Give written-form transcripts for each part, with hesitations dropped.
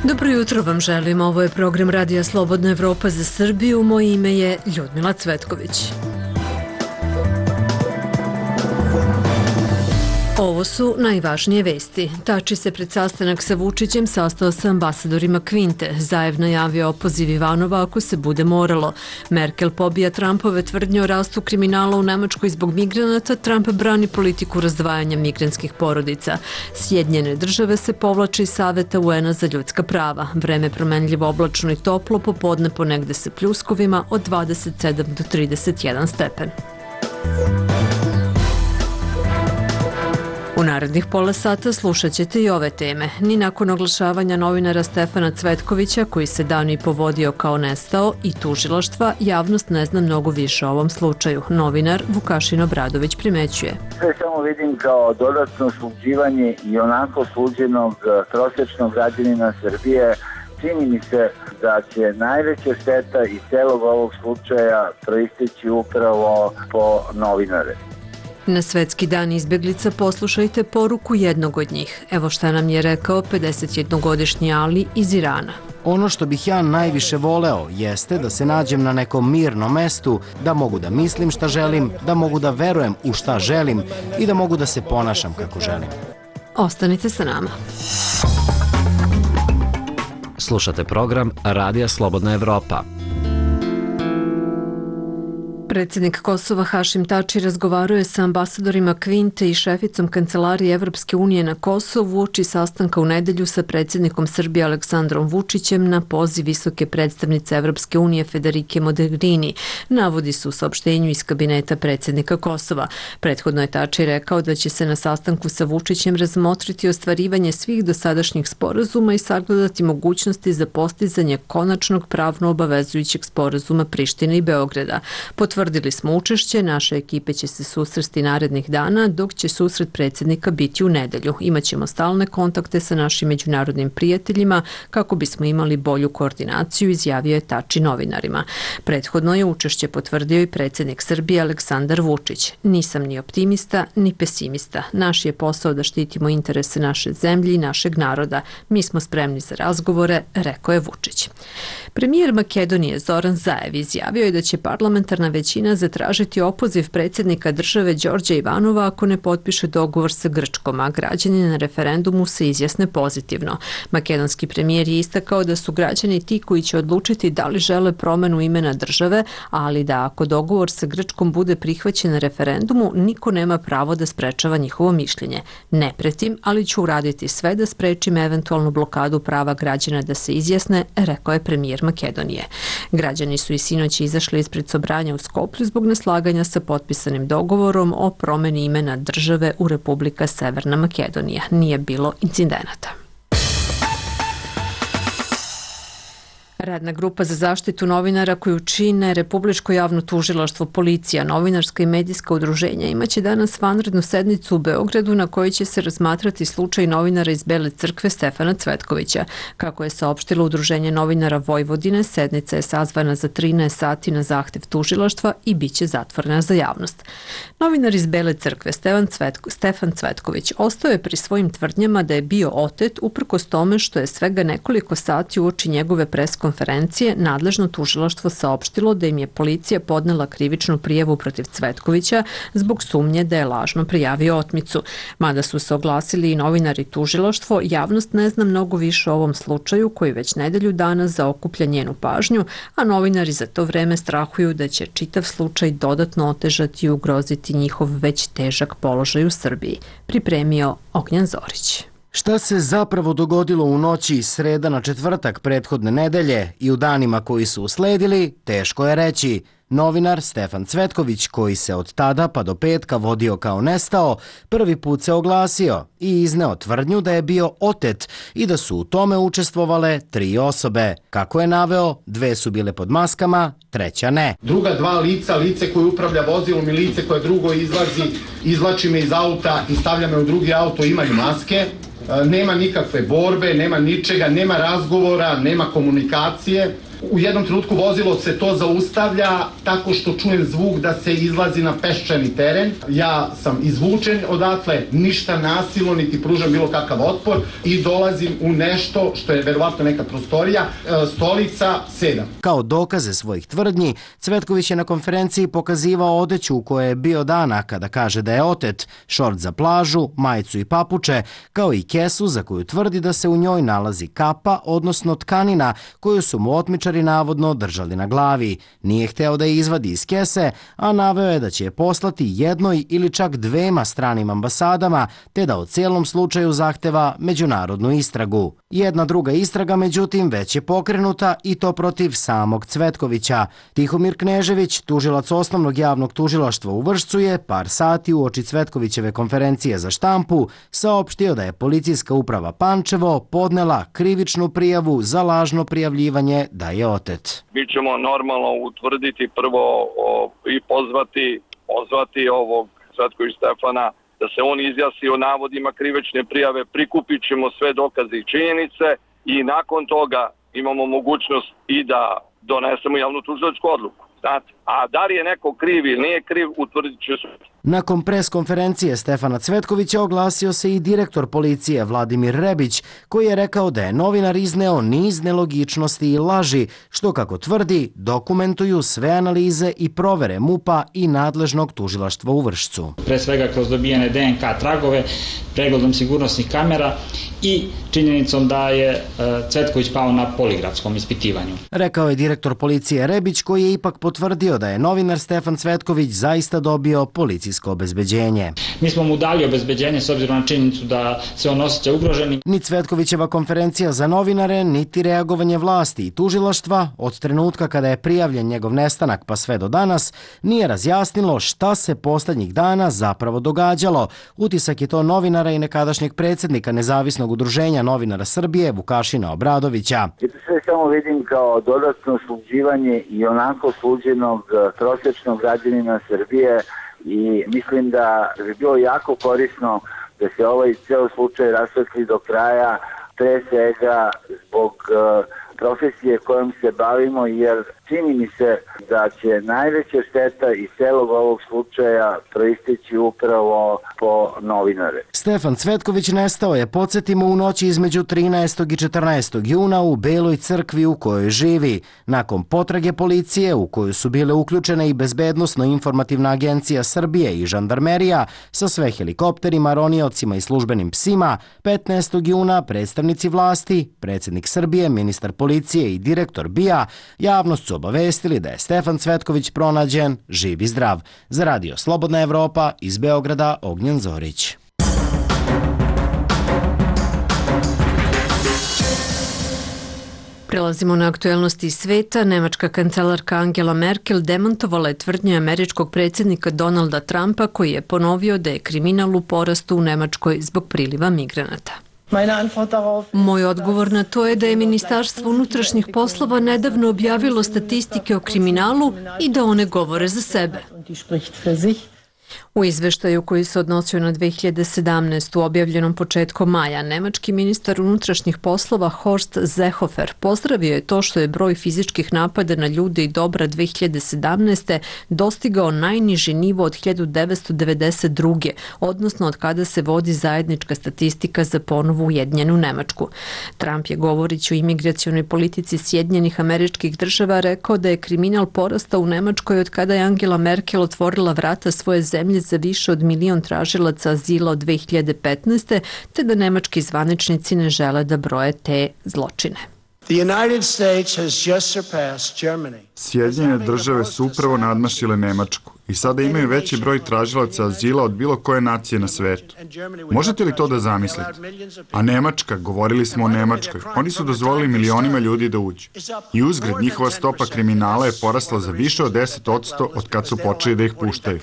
Dobro jutro vam želim, ovo je program Radija Slobodna Evropa za Srbiju, moje ime je Ljudmila Cvetković. Ovo su najvažnije vesti. Tači se pred sastanak sa Vučićem sastao sa ambasadorima Kvinte. Zaev najavio opoziv Ivanova ako se bude moralo. Merkel pobija Trumpove tvrdnje o rastu kriminala u Nemačkoj zbog migranata. Trump brani politiku razdvajanja migrantskih porodica. Sjedinjene države se povlače iz Saveta UN-a za ljudska prava. Vreme promenljivo, oblačno i toplo, popodne ponegde sa pljuskovima od 27 do 31 stepen. U narednih pola sata slušat ćete i ove teme. Ni nakon oglašavanja novinara Stefana Cvetkovića, koji se dan i povodio kao nestao, i tužilaštva, javnost ne zna mnogo više o ovom slučaju. Novinar Vukašin Obradović primećuje. Sve samo vidim kao dodatno sluđivanje i onako sluđenog prosječnog građanina Srbije. Čini mi se da će najveća šteta iz celog ovog slučaja proisteći upravo po novinare. Na Svetski dan izbjeglica poslušajte poruku jednog od njih. Evo šta nam je rekao 51-godišnji Ali iz Irana. Ono što bih ja najviše voleo jeste da se nađem na nekom mirnom mestu, da mogu da mislim šta želim, da mogu da verujem u šta želim i da mogu da se ponašam kako želim. Ostanite sa nama. Slušate program Radija Slobodna Evropa. Predsjednik Kosova Hašim Tači razgovarao je sa ambasadorima Kvinte i šeficom Kancelarije Evropske unije na Kosovu uoči sastanka u nedelju sa predsjednikom Srbije Aleksandrom Vučićem na poziv visoke predstavnice Evropske unije Federike Mogherini, navodi se u saopštenju iz kabineta predsjednika Kosova. Prethodno je Tači rekao da će se na sastanku sa Vučićem razmotriti ostvarivanje svih dosadašnjih sporazuma i sagledati mogućnosti za postizanje konačnog pravno obavezujućeg sporazuma Prištine i Beograda. Potvrdili smo učešće, naše ekipe će se susresti narednih dana, dok će susret predsjednika biti u nedelju. Imaćemo stalne kontakte sa našim međunarodnim prijateljima kako bismo imali bolju koordinaciju, izjavio je Tači novinarima. Prethodno je učešće potvrdio i predsjednik Srbije Aleksandar Vučić. Nisam ni optimista, ni pesimista. Naš je posao da štitimo interese naše zemlje i našeg naroda. Mi smo spremni za razgovore, rekao je Vučić. Premijer Makedonije Zoran Zaev izjavio je da će parlamentarna većina zatražiti opoziv predsjednika države Đorđa Ivanova ako ne potpiše dogovor sa Grčkom, a građani na referendumu se izjasne pozitivno. Makedonski premijer je istakao da su građani ti koji će odlučiti da li žele promenu imena države, ali da ako dogovor sa Grčkom bude prihvaćen na referendumu, niko nema pravo da sprečava njihovo mišljenje. Ne pretim, ali ću uraditi sve da sprečim eventualnu blokadu prava građana da se izjasne, rekao je premijer Makedonije. Građani su i sinoć izašli ispred sobranja u Skoplju zbog neslaganja sa potpisanim dogovorom o promeni imena države u Republika Severna Makedonija. Nije bilo incidenata. Radna grupa za zaštitu novinara koju čine Republičko javno tužilaštvo, policija, novinarska i medijska udruženja imaće danas vanrednu sednicu u Beogradu na kojoj će se razmatrati slučaj novinara iz Bele crkve Stefana Cvetkovića. Kako je saopštilo Udruženje novinara Vojvodine, sednica je sazvana za 13 sati na zahtev tužilaštva i bit će zatvorena za javnost. Novinar iz Bele crkve Stefan Cvetković ostao je pri svojim tvrdnjama da je bio otet uprkos tome što je svega nekoliko sati uoči njegove konferencije nadležno tužilaštvo saopštilo da im je policija podnela krivičnu prijavu protiv Cvetkovića zbog sumnje da je lažno prijavio otmicu. Mada su se oglasili i novinari tužilaštvo, javnost ne zna mnogo više o ovom slučaju koji već nedelju dana zaokuplja njenu pažnju, a novinari za to vreme strahuju da će čitav slučaj dodatno otežati i ugroziti njihov već težak položaj u Srbiji. Pripremio Ognjan Zorić. Šta se zapravo dogodilo u noći iz sreda na četvrtak prethodne nedelje i u danima koji su usledili, teško je reći. Novinar Stefan Cvetković, koji se od tada pa do petka vodio kao nestao, prvi put se oglasio i izneo tvrdnju da je bio otet i da su u tome učestvovale 3 osobe. Kako je naveo, 2 su bile pod maskama, 3 ne. Druga 2 lica, lice koje upravlja vozilom i lice koje drugo izvlači me iz auta i stavlja me u drugi auto, imaju maske. Nema nikakve borbe, nema ničega, nema razgovora, nema komunikacije. U jednom trenutku vozilo se to zaustavlja tako što čujem zvuk da se izlazi na peščani teren. Ja sam izvučen odatle, ništa nasilno, niti pružam bilo kakav otpor i dolazim u nešto što je verovatno neka prostorija, stolica, sedam. Kao dokaze svojih tvrdnji, Cvetković je na konferenciji pokazivao odeću u kojoj je bio dana kada kaže da je otet, šort za plažu, majicu i papuče, kao i kesu za koju tvrdi da se u njoj nalazi kapa, odnosno tkanina koju su mu otmičari navodno držali na glavi. Nije hteo da je izvadi iz kese, a naveo je da će je poslati jednoj ili čak dvema stranim ambasadama, te da o cijelom slučaju zahteva međunarodnu istragu. Jedna druga istraga, međutim, već je pokrenuta i to protiv samog Cvetkovića. Tihomir Knežević, tužilac osnovnog javnog tužilaštva u Vršcu, je par sati uoči Cvetkovićeve konferencije za štampu saopštio da je policijska uprava Pančevo podnela krivičnu prijavu za lažno prijavljivanje da je otet. Mi ćemo normalno utvrditi prvo i pozvati ovog Cvetković Stefana da se on izjasni o navodima krivične prijave, prikupit ćemo sve dokaze i činjenice i nakon toga imamo mogućnost i da donesemo javnu tužilačku odluku. A da li je neko kriv ili nije kriv, utvrdit će sud. Nakon pres konferencije Stefana Cvetkovića oglasio se i direktor policije Vladimir Rebić, koji je rekao da je novinar izneo niz nelogičnosti i laži, što, kako tvrdi, dokumentuju sve analize i provere MUP-a i nadležnog tužilaštva u Vršcu. Pre svega kroz dobijene DNK tragove, pregledom sigurnosnih kamera i činjenicom da je Cvetković pao na poligrafskom ispitivanju. Rekao je direktor policije Rebić, koji je ipak potvrdio da je novinar Stefan Cvetković zaista dobio policijsko obezbeđenje. Mi smo mu dali obezbeđenje s obzirom na činjenicu da se on osjeća ugroženi. Ni Cvetkovićeva konferencija za novinare, niti reagovanje vlasti i tužilaštva od trenutka kada je prijavljen njegov nestanak pa sve do danas nije razjasnilo šta se poslednjih dana zapravo događalo. Utisak je to novinara i nekadašnjeg predsjednika Nezavisnog udruženja novinara Srbije Vukašina Obradovića. Ja to sve samo vidim kao dodatno sluđivanje i onako sluđenog prosječnog građanina Srbije i mislim da bi bilo jako korisno da se ovaj ceo slučaj rasvetli do kraja, pre svega zbog profesije kojom se bavimo, jer čini mi se da će najveća šteta iz celog ovog slučaja proisteći upravo po novinare. Stefan Cvetković nestao je, podsjetimo, u noći između 13. i 14. juna u Beloj crkvi u kojoj živi. Nakon potrage policije, u koju su bile uključene i Bezbednosno-informativna agencija Srbije i žandarmerija sa sve helikopterima, roniocima i službenim psima, 15. juna predstavnici vlasti, predsjednik Srbije, ministar policije i direktor BIA javnost su obavestili da je Stefan Cvetković pronađen živ i zdrav. Za Radio Slobodna Evropa iz Beograda, Ognjen Zorić. Prelazimo na aktuelnosti iz sveta. Nemačka kancelarka Angela Merkel demantovala je tvrdnje američkog predsjednika Donalda Trumpa, koji je ponovio da je kriminal u porastu u Nemačkoj zbog priliva migranata. Moj odgovor na to je da je Ministarstvo unutrašnjih poslova nedavno objavilo statistike o kriminalu i da one govore za sebe. U izveštaju koji se odnosio na 2017. objavljenom početkom maja, nemački ministar unutrašnjih poslova Horst Seehofer pozdravio je to što je broj fizičkih napada na ljude i dobra 2017. dostigao najniži nivo od 1992. odnosno od kada se vodi zajednička statistika za ponovo ujedinjenu Nemačku. Trump je, govoreći o imigracionoj politici Sjedinjenih Američkih Država, rekao da je kriminal porastao u Nemačkoj od kada je Angela Merkel otvorila vrata svoje zemlje za više od 1 milion tražilaca azila od 2015. te da nemački zvaničnici ne žele da broje te zločine. Sjedinjene države su upravo nadmašile Nemačku i sada imaju veći broj tražilaca azila od bilo koje nacije na svetu. Možete li to da zamislite? A Nemačka, govorili smo o Nemačkoj, oni su dozvolili milionima ljudi da uđu. I uzgred, njihova stopa kriminala je porasla za više od 10% od kad su počeli da ih puštaju.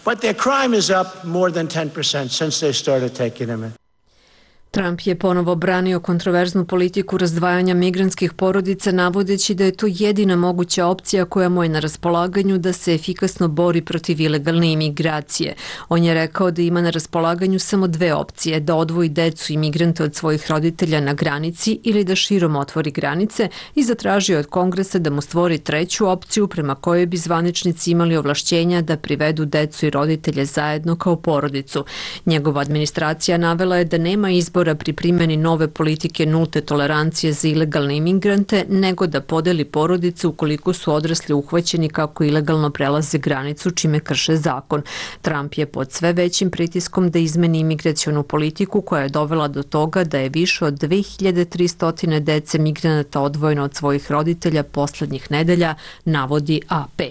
Trump je ponovo branio kontroverznu politiku razdvajanja migrantskih porodica, navodeći da je to jedina moguća opcija koja mu je na raspolaganju da se efikasno bori protiv ilegalne imigracije. On je rekao da ima na raspolaganju samo dve opcije, da odvoji decu i migrante od svojih roditelja na granici ili da širom otvori granice, i zatražio od Kongresa da mu stvori treću opciju prema kojoj bi zvaničnici imali ovlašćenja da privedu decu i roditelje zajedno kao porodicu. Njegova administracija navela je da nema izbora pri primjeni nove politike nulte tolerancije za ilegalne imigrante, nego da podeli porodice ukoliko su odrasli uhvaćeni kako ilegalno prelaze granicu, čime krše zakon. Trump je pod sve većim pritiskom da izmeni imigracionu politiku koja je dovela do toga da je više od 2300 dece migranata odvojeno od svojih roditelja poslednjih nedelja, navodi AP.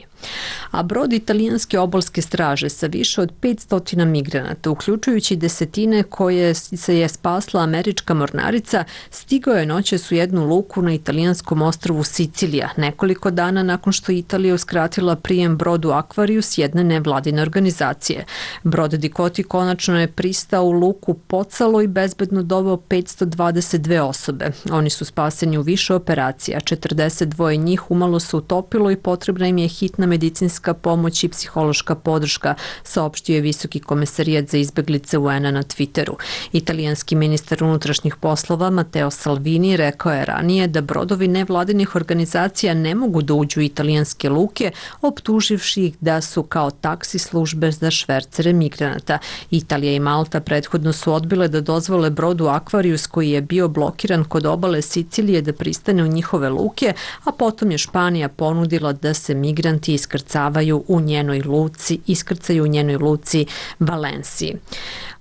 A brod italijanske obalske straže sa više od 500 migranata, uključujući desetine koje se je spasla američka mornarica, stigao je noćas u jednu luku na italijanskom ostrvu Sicilija, nekoliko dana nakon što Italija uskratila prijem brodu Aquarius jedne nevladine organizacije. Brod Dicoti konačno je pristao u luku Pozzalo i bezbedno doveo 522 osobe. Oni su spaseni u više operacija, 42 njih umalo se utopilo i potrebna im je hitna medicinska pomoć i psihološka podrška, saopštio je Visoki komesarijat za izbeglice UN-a na Twitteru. Italijanski ministar unutrašnjih poslova Matteo Salvini rekao je ranije da brodovi nevladinih organizacija ne mogu da uđu u italijanske luke, optuživši ih da su kao taksi službe za švercere migranata. Italija i Malta prethodno su odbile da dozvole brodu Aquarius, koji je bio blokiran kod obale Sicilije, da pristane u njihove luke, a potom je Španija ponudila da se migranti iskrcaju u njenoj luci Valenciji.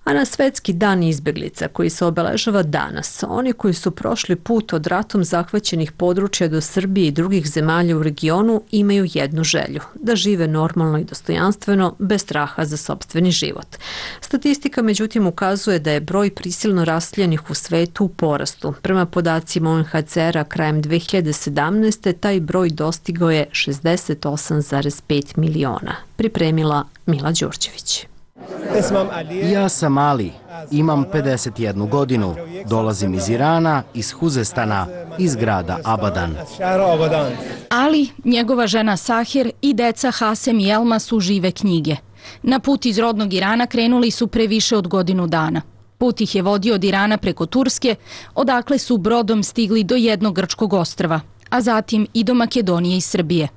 A na Svetski dan izbeglica, koji se obeležava danas, oni koji su prošli put od ratom zahvaćenih područja do Srbije i drugih zemalja u regionu imaju jednu želju, da žive normalno i dostojanstveno, bez straha za sopstveni život. Statistika međutim ukazuje da je broj prisilno raseljenih u svetu u porastu. Prema podacima UNHCR-a krajem 2017. taj broj dostigao je 68,5 miliona. Pripremila Mila Đurđević. Ja sam Ali, imam 51 godinu, dolazim iz Irana, iz Huzestana, iz grada Abadan. Ali, njegova žena Sahir i deca Hasem i Elma su žive knjige. Na put iz rodnog Irana krenuli su pre više od godinu dana. Put ih je vodio od Irana preko Turske, odakle su brodom stigli do jednog grčkog ostrva, a zatim i do Makedonije i Srbije.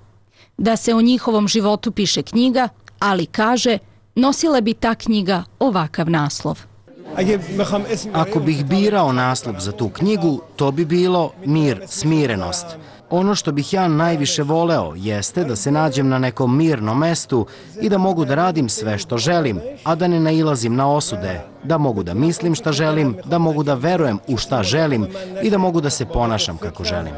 Da se o njihovom životu piše knjiga, Ali kaže, nosila bi ta knjiga ovakav naslov. Ako bih birao naslov za tu knjigu, to bi bilo Mir, smirenost. Ono što bih ja najviše voleo jeste da se nađem na nekom mirnom mestu i da mogu da radim sve što želim, a da ne nailazim na osude, da mogu da mislim šta želim, da mogu da verujem u šta želim i da mogu da se ponašam kako želim.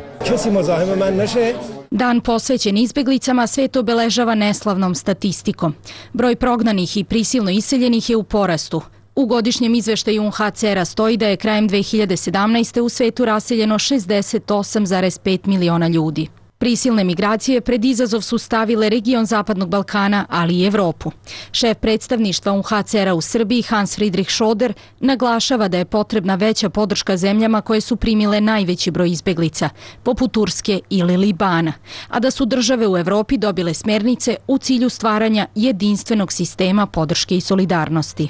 Dan posvećen izbeglicama svet obeležava neslavnom statistikom. Broj prognanih i prisilno iseljenih je u porastu. U godišnjem izveštaju UNHCR-a stoji da je krajem 2017. u svetu raseljeno 68,5 miliona ljudi. Prisilne migracije pred izazov su stavile region Zapadnog Balkana, ali i Evropu. Šef predstavništva UNHCR-a u Srbiji, Hans Friedrich Schoder, naglašava da je potrebna veća podrška zemljama koje su primile najveći broj izbeglica, poput Turske ili Libana, a da su države u Evropi dobile smernice u cilju stvaranja jedinstvenog sistema podrške i solidarnosti.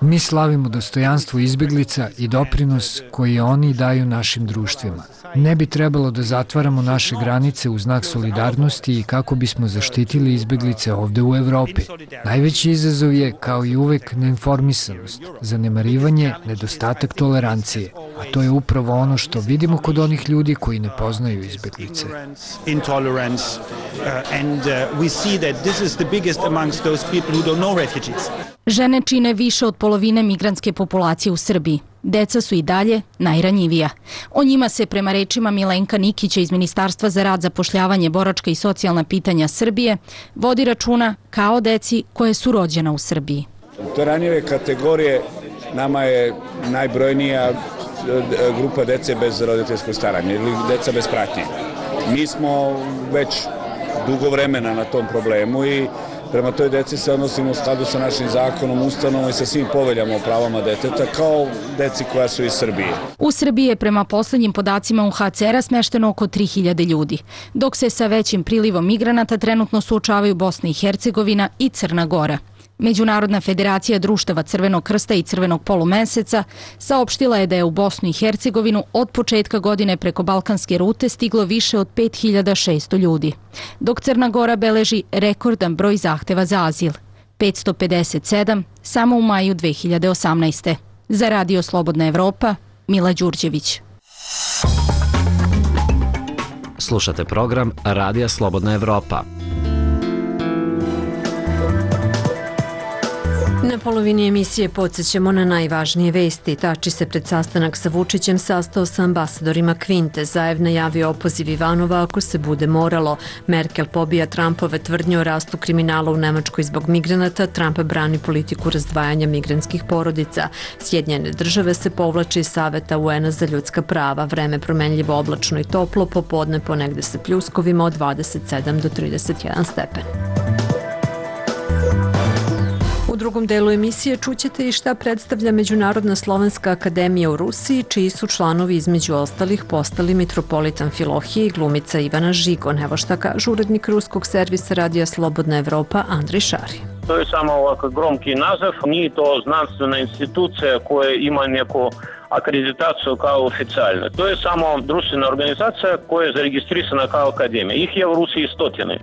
Mi slavimo dostojanstvo izbeglica i doprinos koji oni daju našim društvima. Ne bi trebalo da zatvaramo naše granice u znak solidarnosti i kako bismo zaštitili izbeglice ovde u Evropi. Najveći izazov je, kao i uvek, neinformisanost, zanemarivanje, nedostatak tolerancije, a to je upravo ono što vidimo kod onih ljudi koji ne poznaju izbeglice. Žene čine više od polovine migrantske populacije u Srbiji. Deca su i dalje najranjivija. O njima se, prema rečima Milenka Nikića iz Ministarstva za rad, zapošljavanje, boračka i socijalna pitanja Srbije, vodi računa kao deci koje su rođena u Srbiji. To ranjive kategorije nama je najbrojnija grupa dece bez roditeljskog staranja ili deca bez pratnje. Mi smo već dugo vremena na tom problemu i prema toj deci se odnosimo u skladu sa našim zakonom, ustanovom i sa svim poveljama o pravama deteta kao deci koja su iz Srbije. U Srbiji je prema poslednjim podacima UNHCR-a smešteno oko 3000 ljudi, dok se sa većim prilivom migranata trenutno suočavaju Bosna i Hercegovina i Crna Gora. Međunarodna federacija društava Crvenog krsta i Crvenog polumeseca saopštila je da je u Bosnu i Hercegovinu od početka godine preko balkanske rute stiglo više od 5600 ljudi, dok Crna Gora beleži rekordan broj zahteva za azil, 557 samo u maju 2018. Za Radio Slobodna Evropa, Mila Đurđević. Slušate program Radija Slobodna Evropa. Na polovini emisije podsjećamo na najvažnije vesti. Tači se pred sastanak sa Vučićem sastao sa ambasadorima Kvinte. Zaev najavio opoziv Ivanova ako se bude moralo. Merkel pobija Trumpove tvrdnje o rastu kriminala u Nemačkoj zbog migranata. Trump brani politiku razdvajanja migrantskih porodica. Sjedinjene države se povlače iz Saveta UN-a za ljudska prava. Vreme promenljivo, oblačno i toplo, popodne ponegde sa pljuskovima od 27 do 31 stepen. U drugom delu emisije čućete i šta predstavlja Međunarodna slovenska akademija u Rusiji, čiji su članovi između ostalih postali mitropolitan Amfilohije i glumica Ivana Žigon. Evo šta kaže urednik ruskog servisa Radija Slobodna Evropa Andrej Šari. To je samo ovako gromki naziv, nije to znanstvena institucija koja ima neku akreditaciju kao oficijalna. To je samo društvena organizacija koja je zaregistrisana kao akademija. Ih je u Rusiji stotine.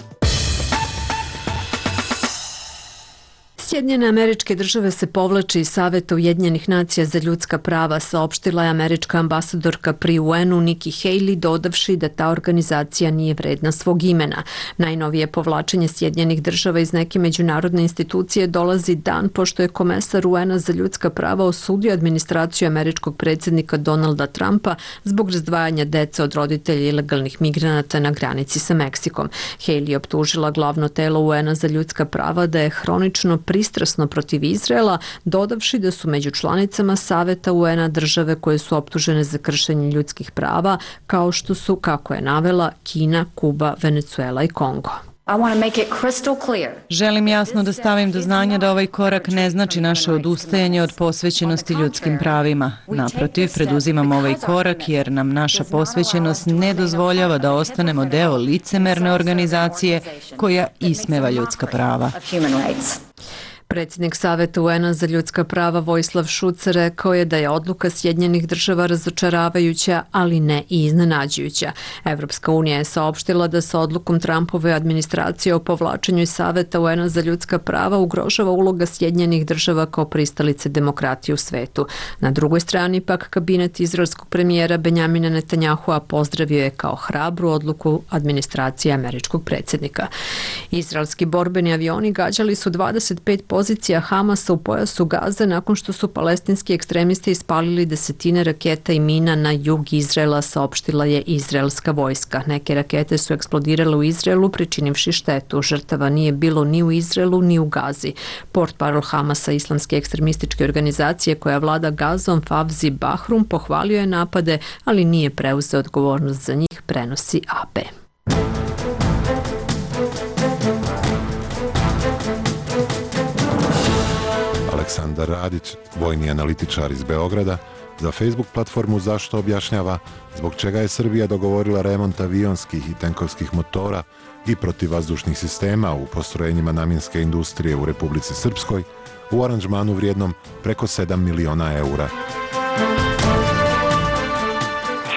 Sjedinjene Američke Države se povlače iz Saveta Ujedinjenih nacija za ljudska prava, saopštila je američka ambasadorka pri UN-u Nikki Haley, dodavši da ta organizacija nije vredna svog imena. Najnovije povlačenje Sjedinjenih Država iz neke međunarodne institucije dolazi dan pošto je komesar UN-a za ljudska prava osudio administraciju američkog predsjednika Donalda Trumpa zbog razdvajanja dece od roditelja ilegalnih migranata na granici sa Meksikom. Haley je optužila glavno telo UN-a za ljudska prava da je hronično pristrasno protiv Izraela, dodavši da su među članicama Saveta UN-a države koje su optužene za kršenje ljudskih prava, kao što su, kako je navela, Kina, Kuba, Venezuela i Kongo. Želim jasno da stavim do znanja da ovaj korak ne znači naše odustajanje od posvećenosti ljudskim pravima. Naprotiv, preduzimamo ovaj korak jer nam naša posvećenost ne dozvoljava da ostanemo deo licemerne organizacije koja ismeva ljudska prava. Predsjednik Saveta UN-a za ljudska prava Vojislav Šuc rekao je da je odluka Sjedinjenih Država razočaravajuća, ali ne i iznenađujuća. Evropska unija je saopštila da sa odlukom Trumpove administracije o povlačenju iz Saveta UN-a za ljudska prava ugrožava uloga Sjedinjenih Država kao pristalice demokratije u svetu. Na drugoj strani pak kabinet izraelskog premijera Benjamina Netanjahua pozdravio je kao hrabru odluku administracije američkog predsjednika. Izraelski borbeni avioni gađali su 25 pozicija Hamasa u pojasu Gaze nakon što su palestinski ekstremisti ispalili desetine raketa i mina na jug Izraela, saopštila je izraelska vojska. Neke rakete su eksplodirale u Izraelu, pričinivši štetu. Žrtava nije bilo ni u Izraelu ni u Gazi. Portparol Hamasa, islamske ekstremističke organizacije koja vlada Gazom, Favzi Bahrum, pohvalio je napade, ali nije preuzeo odgovornost za njih, prenosi AP. Aleksandar Radić, vojni analitičar iz Beograda, za Facebook platformu Zašto objašnjava zbog čega je Srbija dogovorila remont avionskih i tenkovskih motora i protivvazdušnih sistema u postrojenjima namjenske industrije u Republici Srpskoj u aranžmanu vrijednom preko 7 miliona eura.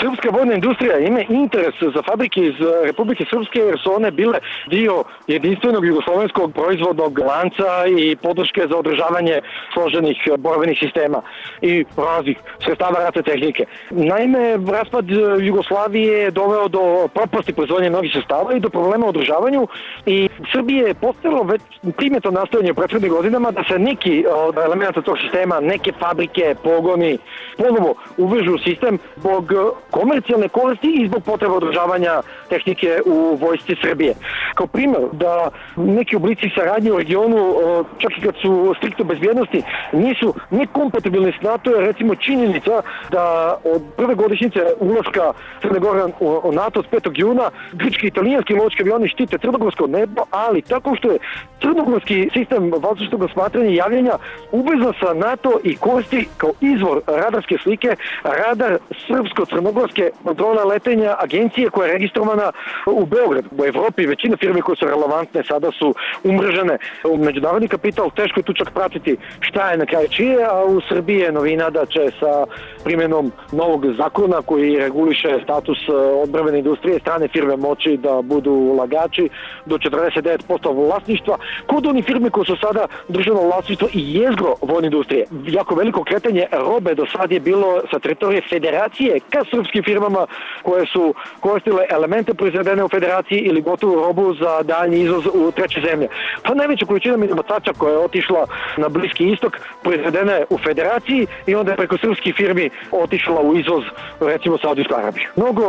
Srpska vojna industrija ima interes za fabrike iz Republike Srpske jer su one bile dio jedinstvenog jugoslovenskog proizvodnog lanca i podrške za održavanje složenih borbenih sistema i raznih sredstava ratne tehnike. Naime, raspad Jugoslavije je doveo do propasti proizvodnje mnogih sredstava i do problema u održavanju i Srbije je postalo već primjetno nastojanje u prethodnim godinama da se neki od elementa tog sistema, neke fabrike, pogoni, ponovo uvežu u sistem zbog komercijalne koristi i zbog potreba održavanja tehnike u vojsci Srbije. Kao primjer da neki oblici saradnje u regionu, čak i kad su striktno bezbjednosti, nisu nekompatibilni s NATO, je recimo činjenica da od prve godišnjice ulaska Crne Gore u NATO od 5. juna grčki i italijanski lovački avioni štite crnogorsko nebo, ali tako što je crnogorski sistem vazdušnog osmatranja i javljanja uvezan sa NATO i koristi kao izvor radarske slike radar srpsko-crnogorske kontrole letenja agencije koja je registrovana u Beogradu. U Evropi većina firme koje su relevantne sada su umrežene u međunarodni kapital, teško je tu čak pratiti šta je na kraju čije, a u Srbiji je novina da će sa primjenom novog zakona koji reguliše status odbrambene industrije strane firme moći da budu ulagači do 49% vlasništva kod onih firme koje su sada državno vlasništvo i jezgro vojne industrije. Jako veliko kretanje robe do sad je bilo sa teritorije federacije ka srpskim firmama koje su koristile elemente proizvedene u federaciji ili gotovu robu za daljnji izvoz u treće zemlje. Pa najveća količina minobacača koja je otišla na Bliski istok proizvedena je u federaciji i onda je preko srpskih firmi otišla u izvoz recimo Saudijsku Arabiju. Mnogo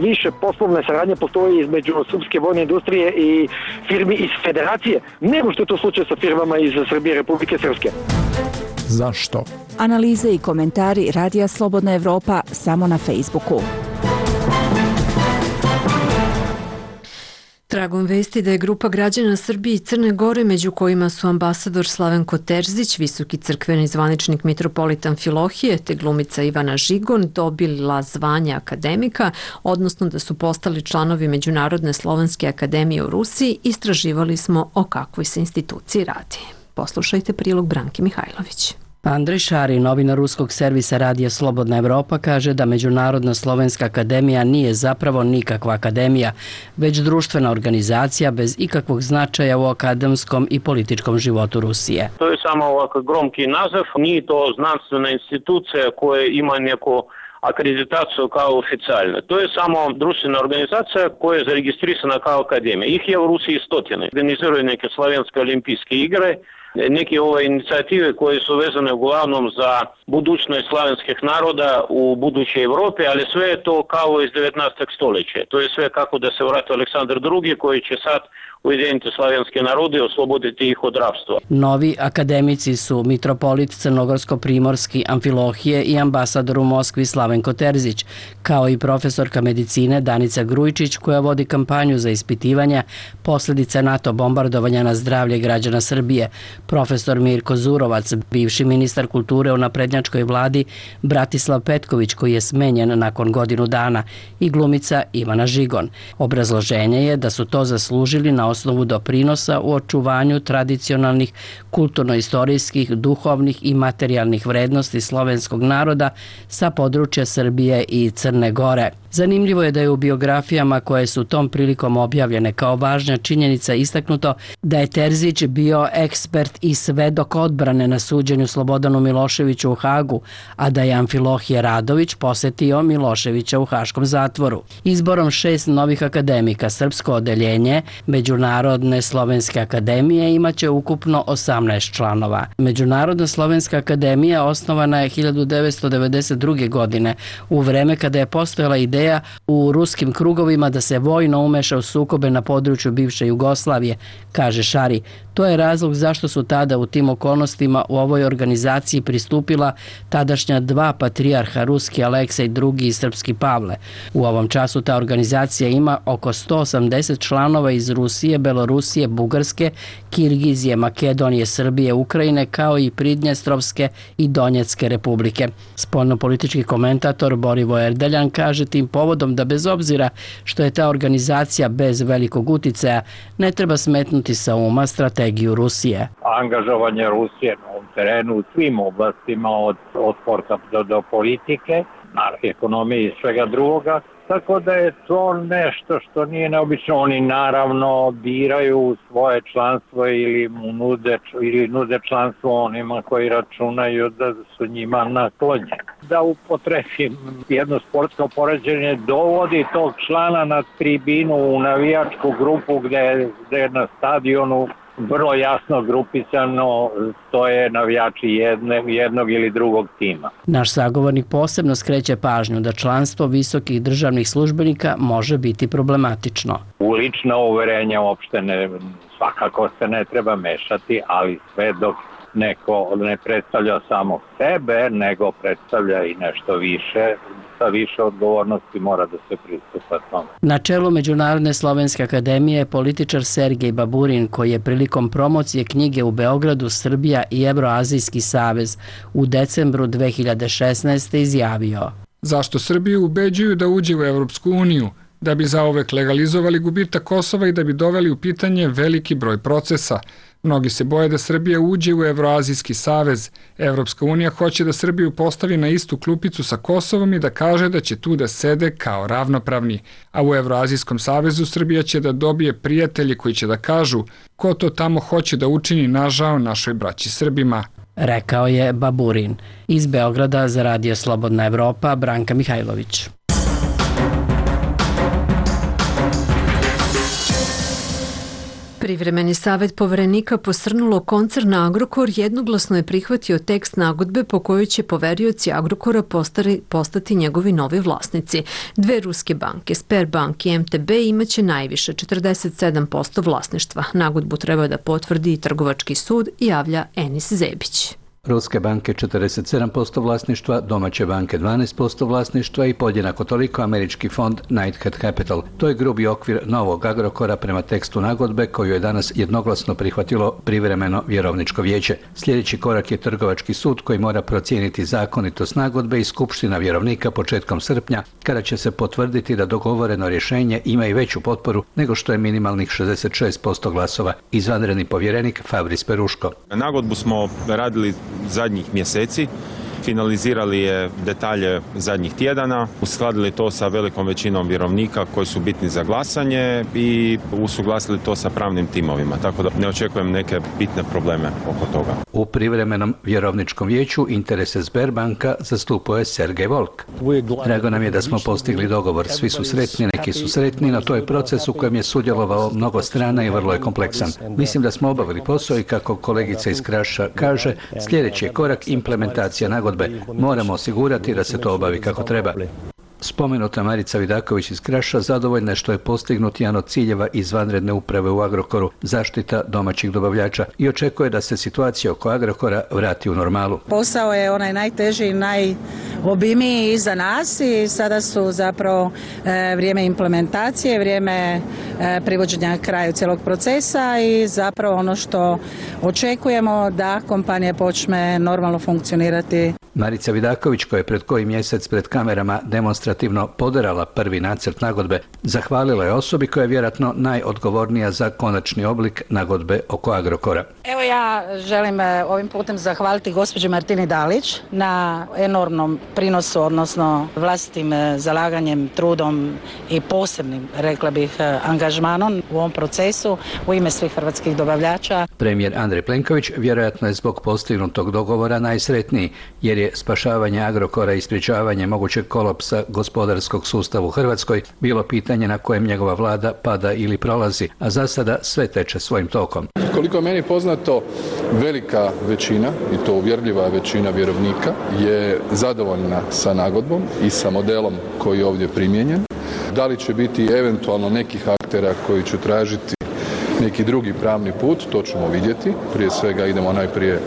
više poslovne saradnje postoji između srpske vojne industrije i firmi iz federacije nego što je to slučaj sa firmama iz Srbije i Republike Srpske. Zašto? Analize i komentari Radija Slobodna Evropa samo na Facebooku. Tragom vesti da je grupa građana Srbije i Crne Gore, među kojima su ambasador Slavenko Terzić, visoki crkveni zvaničnik mitropolit Amfilohije te glumica Ivana Žigon, dobila zvanje akademika, odnosno da su postali članovi Međunarodne slovenske akademije u Rusiji, istraživali smo o kakvoj se instituciji radi. Poslušajte prilog Branke Mihajlović. Andrej Šari, novinar ruskog servisa Radija Slobodna Evropa, kaže da Međunarodna slovenska akademija nije zapravo nikakva akademija, već društvena organizacija bez ikakvog značaja u akademskom i političkom životu Rusije. To je samo ovako gromki naziv, nije to znanstvena institucija koja ima neku akreditaciju kao oficijalna. To je samo društvena organizacija koja je zaregistrisana kao akademija. Ih je u Rusiji stotine. Organiziraju neke slovenske olimpijske igre, neke ove inicijative koje su vezane uglavnom za budućnost slavenskih naroda u budućoj Evropi, ali sve je to kao iz 19. stoljeća. To je sve kako da se vrati Aleksandar II koji će sad ujediniti slavenske narode i osloboditi ih od rapstva. Novi akademici su mitropolit Crnogorsko-Primorski Amfilohije i ambasador u Moskvi Slavenko Terzić, kao i profesorka medicine Danica Grujičić koja vodi kampanju za ispitivanje posljedica NATO bombardovanja na zdravlje građana Srbije, profesor Mirko Zurovac, bivši ministar kulture u naprednjačkoj vladi Bratislav Petković koji je smenjen nakon godinu dana i glumica Ivana Žigon. Obrazloženje je da su to zaslužili na osnovu doprinosa u očuvanju tradicionalnih kulturno-istorijskih, duhovnih i materijalnih vrednosti slovenskog naroda sa područja Srbije i Crne Gore. Zanimljivo je da je u biografijama koje su tom prilikom objavljene kao važna činjenica istaknuto da je Terzić bio ekspert i svedok odbrane na suđenju Slobodanu Miloševiću u Hagu, a da je Amfilohije Radović posetio Miloševića u haškom zatvoru. Izborom 6 novih akademika srpsko odeljenje Međunarodne slovenske akademije imaće ukupno 18 članova. Međunarodna slovenska akademija osnovana je 1992. godine u vreme kada je postojala ideja u ruskim krugovima da se vojno umeša u sukobe na području bivše Jugoslavije, kaže Šari. To je razlog zašto su tada u tim okolnostima u ovoj organizaciji pristupila tadašnja 2 patrijarha, ruski Aleksej II i srpski Pavle. U ovom času ta organizacija ima oko 180 članova iz Rusije, Belorusije, Bugarske, Kirgizije, Makedonije, Srbije, Ukrajine, kao i Pridnjestrovske i Donjecke republike. Spoljnopolitički komentator Borivo Erdeljan kaže tim povodom da bez obzira što je ta organizacija bez velikog uticaja, ne treba smetnuti sa uma strategiju Rusije. Angažovanje Rusije na ovom terenu u svim oblastima od sporta do politike, ekonomije i svega drugoga, tako da je to nešto što nije neobično. Oni naravno biraju svoje članstvo ili nude članstvo onima koji računaju da su njima naklonjeni. Da upotrebim jedno sportsko poređenje, dovodi tog člana na tribinu u navijačku grupu gde je na stadionu vrlo jasno grupisano stoje navijači jednog ili drugog tima. Naš sagovornik posebno skreće pažnju da članstvo visokih državnih službenika može biti problematično. U lična uverenja uopšte svakako se ne treba mešati, ali sve dok neko ne predstavlja samo sebe, nego predstavlja i nešto više, sa više odgovornosti mora da se pristupa tome. Na čelu Međunarodne slovenske akademije je političar Sergej Baburin, koji je prilikom promocije knjige u Beogradu Srbija i Evroazijski savez u decembru 2016. izjavio: Zašto Srbiju ubeđuju da uđe u Evropsku uniju? Da bi zaovek legalizovali gubitak Kosova i da bi doveli u pitanje veliki broj procesa. Mnogi se boje da Srbija uđe u Evroazijski savez. Evropska unija hoće da Srbiju postavi na istu klupicu sa Kosovom i da kaže da će tu da sede kao ravnopravni. A u Evroazijskom savezu Srbija će da dobije prijatelji koji će da kažu ko to tamo hoće da učini nažao našoj braći Srbima. Rekao je Baburin. Iz Beograda za Radio Slobodna Evropa, Branka Mihajlović. Privremeni savjet poverenika posrnulo koncern Agrokor jednoglasno je prihvatio tekst nagodbe po kojoj će poverioci Agrokora postati njegovi novi vlasnici. Dve ruske banke, Sberbank i MTB, imaće najviše 47% vlasništva. Nagodbu treba da potvrdi i Trgovački sud, javlja Enis Zebić. Ruske banke 47% vlasništva, domaće banke 12% vlasništva i podjednako toliko američki fond Knighthead Capital. To je grubi okvir novog Agrokora prema tekstu nagodbe koju je danas jednoglasno prihvatilo privremeno vjerovničko vijeće. Sljedeći korak je Trgovački sud koji mora procijeniti zakonitost nagodbe i Skupština vjerovnika početkom srpnja, kada će se potvrditi da dogovoreno rješenje ima i veću potporu nego što je minimalnih 66% glasova. Izvanredni povjerenik Fabris Peruško. Nagodbu smo radili zadnjih mjeseci, finalizirali je detalje zadnjih tjedana, uskladili to sa velikom većinom vjerovnika koji su bitni za glasanje i usuglasili to sa pravnim timovima, tako da ne očekujem neke bitne probleme oko toga. U privremenom vjerovničkom vijeću interese Sberbanka zastupuje Sergej Volk. Drago nam je da smo postigli dogovor, svi su sretni, neki su sretni, no to je proces u kojem je sudjelovao mnogo strana i vrlo je kompleksan. Mislim da smo obavili posao i kako kolegica iz Kraša kaže, sljedeći je korak implementacija nagodbe. Moramo osigurati da se to obavi kako treba. Spomenuta Marica Vidaković iz Kraša zadovoljna je što je postignut jedan od ciljeva izvanredne uprave u Agrokoru, zaštita domaćih dobavljača, i očekuje da se situacija oko Agrokora vrati u normalu. Posao je onaj najteži i najobimniji iza nas i sada su zapravo vrijeme implementacije, vrijeme privođenja kraju cijelog procesa i zapravo ono što očekujemo da kompanija počne normalno funkcionirati. Marica Vidaković, koja je pred koji mjesec pred kamerama demonstrativno poderala prvi nacrt nagodbe, zahvalila je osobi koja je vjerojatno najodgovornija za konačni oblik nagodbe oko Agrokora. Evo ja želim ovim putem zahvaliti gospođi Martini Dalić na enormnom prinosu, odnosno vlastitim zalaganjem, trudom i posebnim, rekla bih, angažmanom u ovom procesu u ime svih hrvatskih dobavljača. Premijer Andrej Plenković vjerojatno je zbog postignutog dogovora najsretniji, jer je spašavanje Agrokora i sprječavanje mogućeg kolapsa gospodarskog sustava u Hrvatskoj bilo pitanje na kojem njegova vlada pada ili prolazi, a za sada sve teče svojim tokom. Koliko je meni poznato, velika većina, i to uvjerljiva većina vjerovnika, je zadovoljna sa nagodbom i sa modelom koji je ovdje primijenjen. Da li će biti eventualno nekih aktera koji će tražiti neki drugi pravni put, to ćemo vidjeti. Prije svega idemo najprije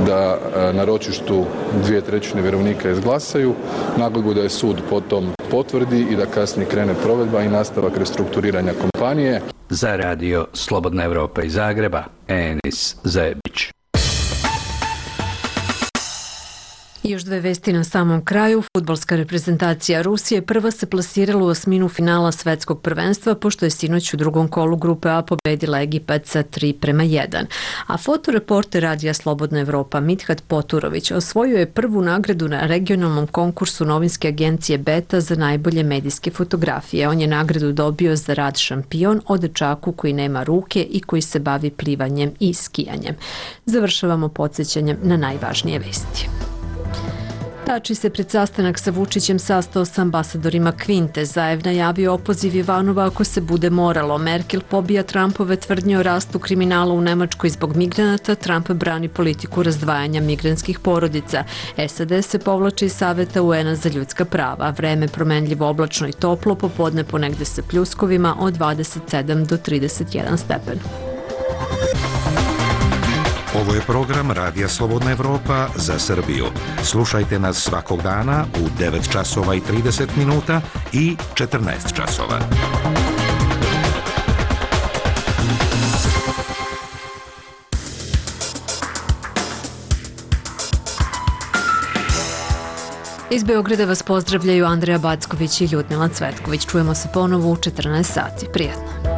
da na ročištu 2/3 vjerovnika izglasaju, nagodbu da je sud potom potvrdi i da kasnije krene provedba i nastavak restrukturiranja kompanije. Za Radio Slobodna Evropa iz Zagreba, Enis Zebić. Još dve vesti na samom kraju. Fudbalska reprezentacija Rusije prva se plasirala u osminu finala svetskog prvenstva, pošto je sinoć u drugom kolu grupe A pobedila Egipat sa 3:1. A fotoreporter Radija Slobodna Evropa Mithat Poturović osvojio je prvu nagradu na regionalnom konkursu novinske agencije Beta za najbolje medijske fotografije. On je nagradu dobio za rad Šampion o dečaku koji nema ruke i koji se bavi plivanjem i skijanjem. Završavamo podsjećanjem na najvažnije vesti. Tači se pred sastanak sa Vučićem sastao sa ambasadorima Kvinte. Zaev najavio opoziv Ivanova ako se bude moralo. Merkel pobija Trumpove tvrdnje o rastu kriminala u Nemačkoj zbog migranata. Trump brani politiku razdvajanja migranskih porodica. SAD se povlači iz Saveta UN-a za ljudska prava. Vreme promenljivo, oblačno i toplo, popodne ponegde sa pljuskovima od 27 do 31 stepen. Ovo je program Radija Slobodna Evropa za Srbiju. Slušajte nas svakog dana u 9 časova i 30 minuta i 14 časova. Iz Beograda vas pozdravljaju Andreja Backović i Ljudmila Cvetković. Čujemo se ponovo u 14 sati. Prijetno.